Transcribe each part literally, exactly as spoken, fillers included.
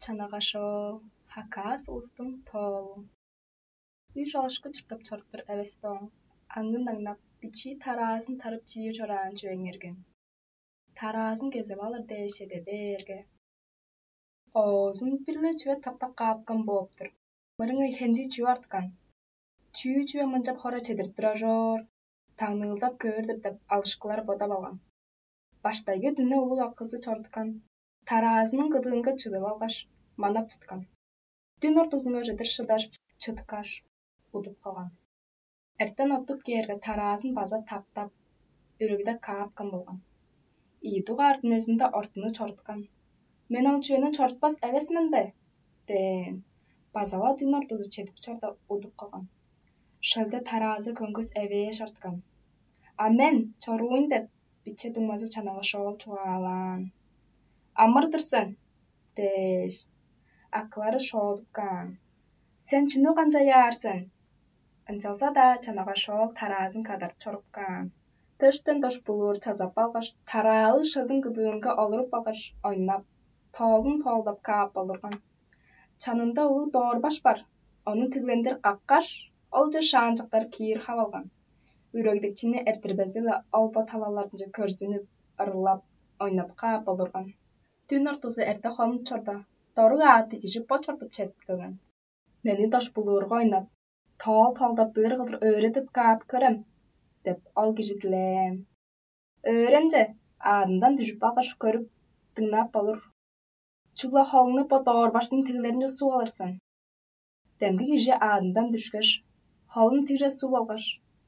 Чанага шоол, хакас улустуң тоолу. Үш алышкы чурттап чоруптур эвес бе оң. Аңын аңнап, бичии тараазын тарып чиир чораан чүвең эрген. Тараазын кезип алыр дээш чеде бээрге, оозун бир-ле чүве таптап каапкан бооп-тур. Мырыңай хенчи чүве арткан. Чүү чүве мынчап хора чедирип турар чоор, таңныылдап көөр-дүр деп алышкылар бодап алган. Баштайгы дүнне улуг акызы чорудупкан, тараазының кыдыынга чыдып алгаш, манап чыткан. Дүн ортузунга чедир шыдаш чыткаш, удуп калган. Эртен оттуп кээрге, тараазын база таптап, үрегде каапкан болган. Ийи дугаар дүнезинде ортуну чоруткан. «Мен ол чүвени чорутпас эвес мен бе?» – дээн. База-ла дүн ортузу чедип чорда, удуп калган. Шөлде тараазы көңгүс эвээш арткан. «А мен чоруйн» – деп, биче дуңмазы чанагаш оол чугаалаан. «Амыр-дыр сен» – дээш, акылары шоодуп каан. «Сен чүнү канчаяар сен?» Ынчалза-даа чанагаш оол тараазын кадарып чоруп каан. Төштен дош булуур чазап алгаш, тараалы шөлдүң кыдыынга олуруп алгаш, ойнап, тоолун тоолдап каап олурган. Чанында улуг доорбаш бар. Ону тиглендир каккаш, олче шаанчыктар киир хап алган. Үрегдикчини эртирбези-ле ол бо талаларынче көрзүнүп, ырылап, ойнап каап олурган. Дүн ортузу эрте хонуп чорда, доруг аъттыг кижи бо чорудуп чедип келген. «Мени дош булуурга ойнап, тоол тоолдап билир кылдыр өөредип каап көрем» – деп, ол кижи дилээн. «Өөренче, аадындан дүжүп алгаш көрүп, дыңнап болур. Чүгле холуңну бо доорбаштың тиглеринче суп алыр сен». Демги кижи аадындан дүшкеш, холун тигже суп алгаш,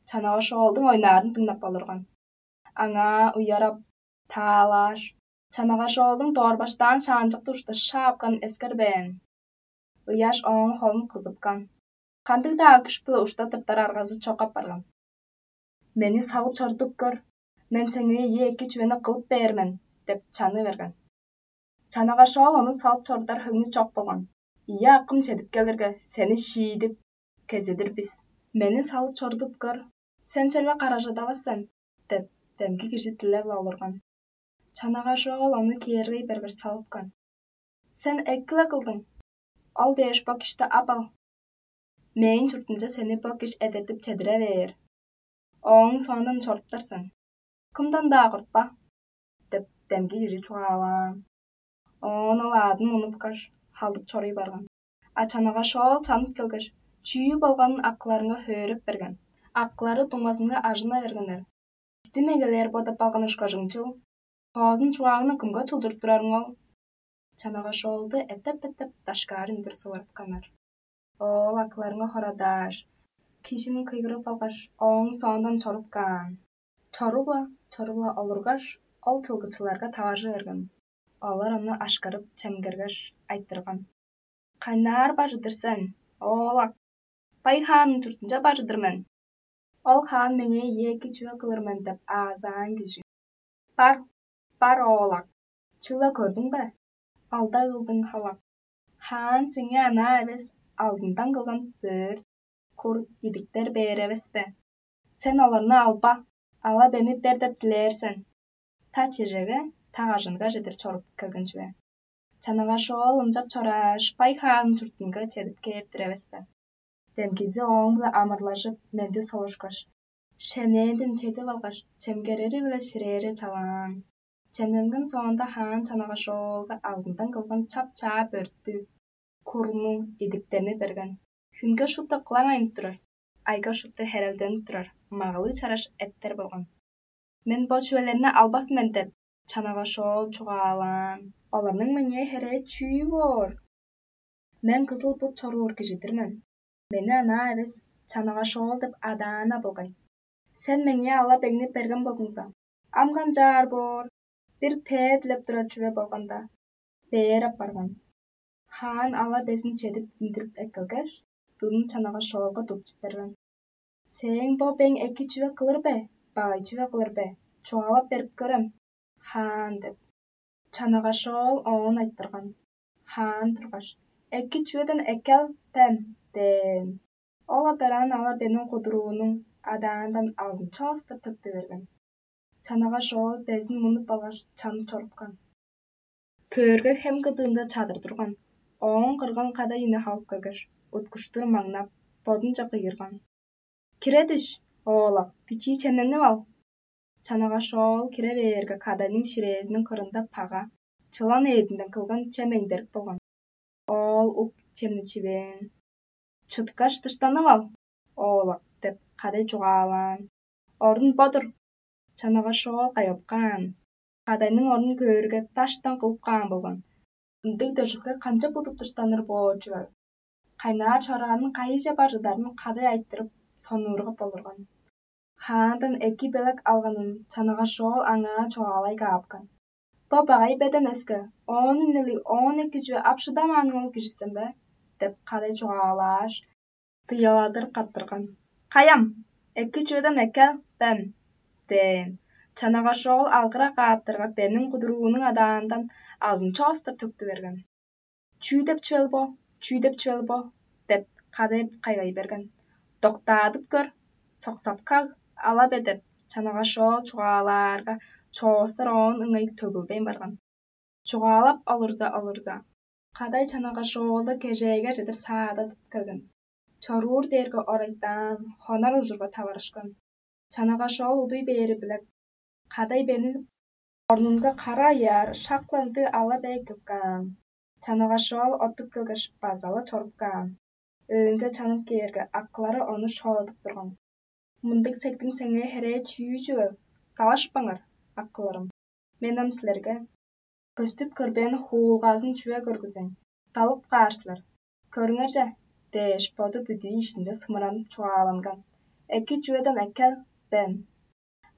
чанагаш оолдуң ойнаарын дыңнап болурган. Аңаа уярап, таалааш, чанагаш оолдуң доорбаштаан шаанчыкты ушта шаапкан эскербээн. Ыяш ооң холун кызыпкан. Кандыг-даа күш-биле ушта тыртар аргазы чок апарган. «Мени салып чорудуп көр, мен сеңээ ийи эки чүвени кылып бээр мен» – деп чаны берген. Чанагаш оол ону салып чорудар хөңнү чок болган. «Ийи акым чедип келирге, сени шиидип, кезедир бис. Мени салып чорудуп көр, сен черле каражадавас сен» – деп, демги кижи дилеп-ла олурган. Чанагаш оол ону кээргей бергеш салыпкан. «Сен эки-ле кылдың. Ол дээш бо кишти ап ал. Мээң чуртумче сени бо киш эдертип чедире бээр. Ооң соондан чоруптар сен. Кымдан-даа кортпа» – деп, демги кижи чугаалаан. Оон ол аадын мунупкаш, халдып чоруй барган. А чанагаш оол чанып келгеш, чүү болганын акыларынга хөөреп берген. Акылары дуңмазынга ажына бергеннер. «Бисти мегелээр бодап алган ышкажыңчыл, тоозун чугааңны кымга чылчырып турарың ол?» Чанагаш оолду эттеп-эттеп дашкаар үндүр сывырыпканнар. Оол акыларынга хорадааш, кижини кыйгырып алгаш, ооң соондан чоруп каан. Чоруп-ла, чоруп-ла олургаш, ол чылгычыларга таваржы берген. Олар ону ашкарып чемгергеш, айтырган: «Кайнаар бажыдыр сен, оолак?» «Бай хаанның чуртунче бажыдыр мен. Ол хаан меңээ ийи эки чүве кылыр мен деп аазаан кижи». «Бар, бар, оолак. Чүгле көрдүң бе? Алдай кылдың халак. Хаан сеңээ анаа эвес, алдындан кылган бөрт, кур, идиктер бээр эвес бе? Сен оларны алба, ала бени бер деп дилээр сен. Та чежеге, та кажанга чедир чоруп келген чүве. Чанагаш оол ынчап чорааш, бай хаанның чуртунга чедип кээптир эвес бе?» Демгизи ооң-биле амырлажып, менди солушкаш, шенээнден чедип алгаш, чемгерери-биле ширээре чалаан. Чемненген соонда хаан чанагаш оолга алдындан кылган чап-чаа бөрттү, курну, идиктерни берген. Хүнге шупту кылаң айнып турар, айга шупту херелденип турар, магалыг чараш эттер болган. «Мен бо чүвелерни албас мен» – деп, чанагаш оол чугаалаан. «Оларның меңээ херээ чүү боор? Мен кызыл бут чоруур кижи-дир мен. Мени анаа эвес, чанагаш оол деп адаан-на болгай. Сен меңээ ала-беңни берген болзуңза, ам канчаар боор? Бир тээ дилеп турар чүве болганда, бээр апарган». Хаан ала безин чедип үндүрүп эккелгеш, дылын чанагаш оолга тутчуп берген. «Сээң бо бең эки чүве кылыр бе, багай чүве кылыр бе? Чугаалап берип көрем, хаан» – деп. Чанагаш оол оон айтырган. Хаан тургаш: «Эки чүведен эккел, бем» – дээн. Ол адараан ала бениң кудуруунуң адаандан алдын чоостап төктү берген. Чанагаш оол безин мунуп алгаш, чанып чорупкан. Көөрге, хем кыдыында чадыр турган. Ооң кырган кадай үне халып келгеш, уткуштур маңнап, бодунче кыйгырган: «Кире дүш, оолак, бичии чемненип ал». Чанагаш оол кире бээрге, кадайның ширээзиниң кырында пага, чылан эъдинден кылган чем эңдерик болган. Оол ук чемни чивээн. «Чыткаш, дыштанып ал, оолак» — деп, кадай чугаалаан. Орун бо-дур. Чанагаш оол кайгап каан. Кадайның орнун көөрге, даштан кылып каан болган. Ындыг дөржүкке канчап удуп дыштаныр боор чүвел? Кайнаар чораанын кайыже бар чыдарын кадай айтырып, сонуургап олурган. Хаандан эки белек алганын чанагаш оол аңаа чугаалай каапкан. «Бо багай беден өске, оон үнелиг, оон эки чүве ап шыдамааның ол кижи сен бе?» — деп кадай чугаалааш, дыяладыр каттырган. «Каям, эки чүведен эккел, бем» — дээн. Чанагаш оол алгыра кааптарга, бениң кудуруунуң адаандан алдын чоостар төктү берген. «Чүү деп чүвел бо? Чүү деп чүвел бо?» — деп, кадай кайгай берген. «Доктаадып көр, соксап каг, ала бе» — деп, чанагаш оол чугаалаарга, чоостар оон ыңай төгүлбейн барган. Чугаалап олурза-олурза, кадай чанагаш оолду кежээге чедир саададып келген. Чоруур дээрге орайтаан, хонар ужурга таварышкан. Чанагаш оол удуй бээри-биле кадай бени орнунга кара аяар шак-ла ындыг ала бе эккеп каан. Чанагаш оол оттуп келгеш, база-ла чоруп каан. Өөнге чанып кээрге, акылары ону шоодуп турган. «Мындыг сектиң сеңээ херээ чүү чүвел? Далашпаңар, акыларым. Мен ам силерге көстүп көрбээн хуулгазын чүве көргүзейн, далып каар силер. Көрүңер че» — дээш, боду бүдүү иштинде сымыранып чугааланган: «Эки чүведен эккел, бем».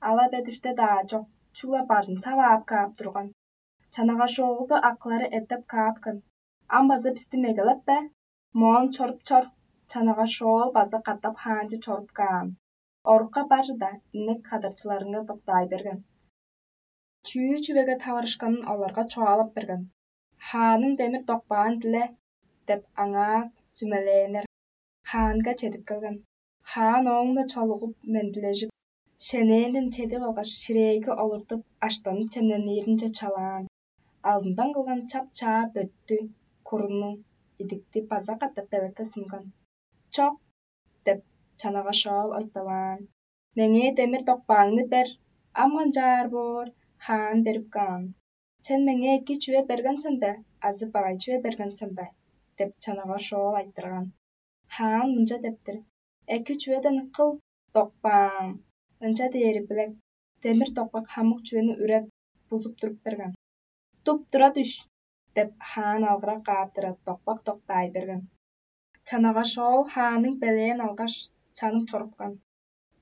Ала бе дүште-даа чок, чүгле барын саваап каап турган. Чанагаш оолду акылары эттеп каапкан. «Ам база бисти мегелеп бе? Моон чоруп чор». Чанагаш оол база катап хаанче чоруп каан. Орукка бар чыда, инек кадарчыларынга доктаай берген. Чүү чүвеге таварышканын оларга чугаалап берген. «Хааның демир докпаан диле» — деп, аңаа сүмелээннер. Хаанга чедип келген. Хаан ооң-на чолугуп, мендилежип, шенээнден чедип алгаш, ширээге олуртуп, аштанып чемненииринче чалаан. Алдындан кылган чап-чаа бөттү, курну, идикти база катап белекке сунган. «Чок» — деп, чанагаш оол ойталаан. «Меңээ демир докпааңны бер, ам канчаар боор?» — хаан берип каан. «Сен меңээ эки чүве берген сен бе азы багай чүве берген сен бе?» — деп, чанагаш оол айтырган. Хаан мынча дептир: «Эки чүведен кыл, докпаам». Ынча дээри-биле демир докпак хамык чүвени үреп, бузуп туруп берген. «Туп-тура дүш» — деп, хаан алгырак кааптыра, докпак доктаай берген. Чанагаш оол хааның белээн алгаш, чанып чорупкан.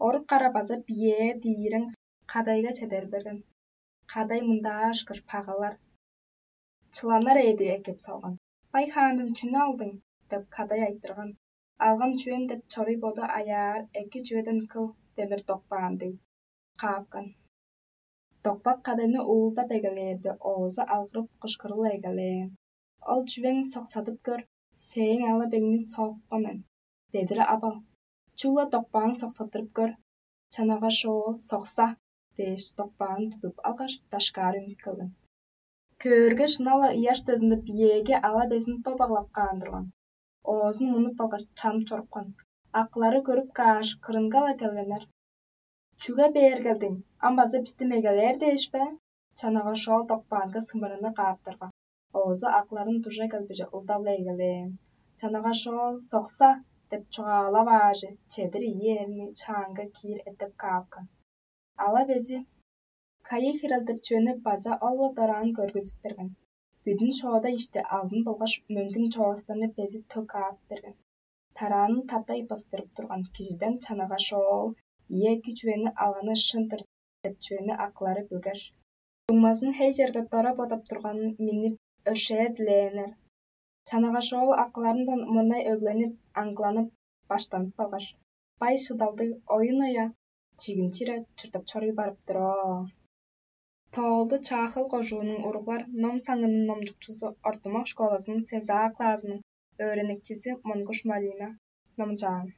Орук кара база биеэ диирең кадайга чедер берген. Кадай мындаа ышкаш пагалар, чыланнар эъди эккеп салган. «Бай хаандан чүнү алдың?» — деп, кадай айтырган. «Алган чүвем» — деп, чоруй боду аяар: «Эки чүведен кыл, демир докпаан» — дей каапкан. Докпак кадайны уулдап эгелээрде, оозу алгырып кышкырыл эгелээн: «Ол чүвең соксадып көр, сээң ала-беңни соокпа мен, дедир ап ал. Чугула докпааң соксаттырып көр». Чанагаш оол: «Сокса» — дээш, докпаан тудуп алгаш, дашкаар үнүп келген. Көөрге, шынап-ла ыяш дөзүнде биеэги ала безин бо баглап каан турган. Оозун мунуп алгаш, чанып чорупкан. Акылары көрүп кааш, кырынга-ла келгеннер: «Чүге бээр келдиң? Ам база бисти мегелээр дээш бе?» Чанагаш оол докпаанга сымыраны кааптарга, оозу акыларын дужа келбиже улдала эгелээн. Чанагаш оол: «Сокса» — деп чугаалап аажы, чедир ийи элни чаанга киир эттеп каапкан. Ала бези кайы хирел деп чүвени база ол-ла дораан көргүзүп берген. Бүдүн шоода ишти алдын болгаш мөңгүн чоостарны безип төк каап берген. Тараанын таптай бастырып турган кижиден чанагаш оол: «Ийе, эки чүвени алганы шын-дыр» — деп чүвени акылары билгеш, дуңмазын хей черге дора бодап турганын миннип, өршээ дилээннер. Чанагаш оол акыларындан мурнай өгленип, аңгыланып, баштанып калгаш, бай шыдалдыг оюн-оя, чигин чире чурттап чоруй барып-тыр оо. Тоолду Чаахыл кожуунуң уруглар ном саңының номчукчузу, ортумак школазының сезаа клаазының өөреникчизи Монгуш Марина номчаан.